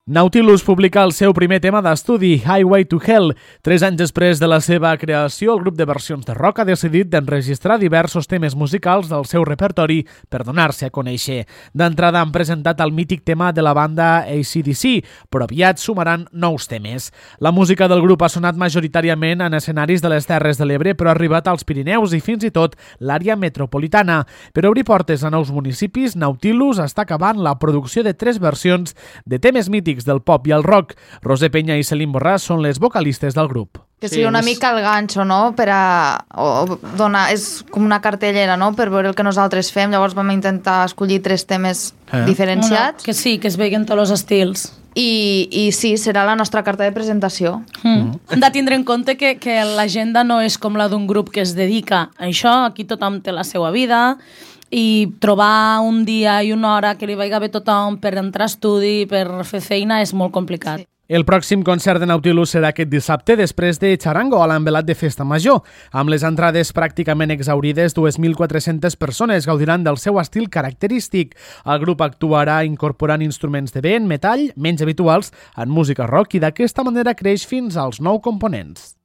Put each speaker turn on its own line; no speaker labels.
Nautilus publica el seu primer tema d'estudi, Highway to Hell. 3 anys després de la seva creació, el grup de versions de rock ha decidit d'enregistrar diversos temes musicals del seu repertori per donar-se a conèixer. D'entrada han presentat el mític tema de la banda AC/DC, però aviat sumaran nous temes. La música del grup ha sonat majoritàriament en escenaris de les Terres de l'Ebre, però ha arribat als Pirineus i fins i tot l'àrea metropolitana. Per obrir portes a nous municipis, Nautilus està acabant la producció de 3 versions de temes mítics del pop i el rock. Roser Peña i Celine Borràs són les vocalistes del grup.
Que sigui una mica el ganxo, no?, per a donar... És com una cartellera, no?, per veure el que nosaltres fem. Llavors vam intentar escollir 3 temes diferenciats.
Que sí, que es veien tots els estils.
I sí, serà la nostra carta de presentació.
Hem de tindre en compte que l'agenda no és com la d'un grup que es dedica a això. Aquí tothom té la seva vida i trobar un dia i una hora que li vagi bé tothom per entrar a estudi, per fer feina, és molt complicat.
Sí.
El pròxim concert de Nautilus serà aquest dissabte després de Charango a l'envelat de Festa Major. Amb les entrades pràcticament exhaurides, 2.400 persones gaudiran del seu estil característic. El grup actuarà incorporant instruments de vent, metall, menys habituals en música rock i d'aquesta manera creix fins als 9 components.